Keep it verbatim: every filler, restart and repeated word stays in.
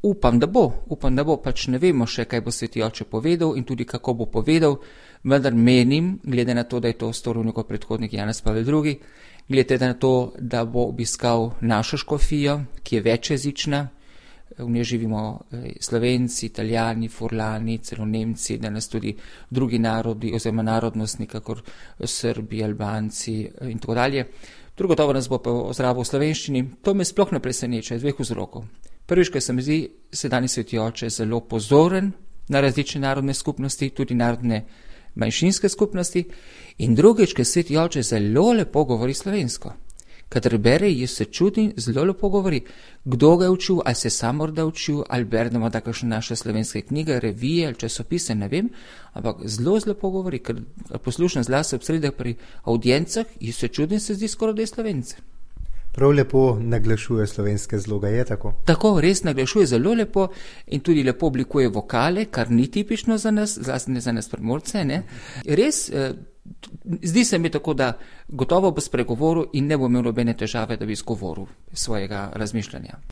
upam, da bo, upam, da bo, pač ne vemo še, kaj bo Sveti oče povedal in tudi kako bo povedal, vendar menim, glede na to, da je to storil njegov predhodnik Janez Pavel drugi, glede na to, da bo obiskal našo škofijo, ki je večjezična, v njej živimo Slovenci, Italijani, Furlani, celo Nemci, danes tudi drugi narodi oziroma narodnostni, kakor Srbi, Albanci in tako dalje. Drugo gotovo nas bo pa ozdravil v slovenščini. To me sploh ne preseneča iz dveh vzrokov. Prvič, ker se mi zdi sedanji Sveti oče zelo pozoren na različne narodne skupnosti, tudi narodne manjšinske skupnosti, in drugič, ker Sveti oče zelo lepo govori slovensko. Kadar bere, jaz se čudim, zelo lepo govori. Kdo ga je učil, ali se sam morda učil, ali beremo da kakšne naše slovenske knjige, revije ali časopise, ne vem, ampak zelo, zelo lepo govori, ker poslušam zlasti ob sredah pri avdiencah, jaz se čudim, se zdi skoraj, da je Slovence. Prav lepo naglašuje slovenske zloge, je tako? Tako, res naglašuje zelo lepo in tudi lepo oblikuje vokale, kar ni tipično za nas, zlasti ne za nas Primorce, ne. Res, eh, zdi se mi tako, da gotovo bo spregovoril in ne bo imel nobene težave, da bi izgovoril svojega razmišljanja.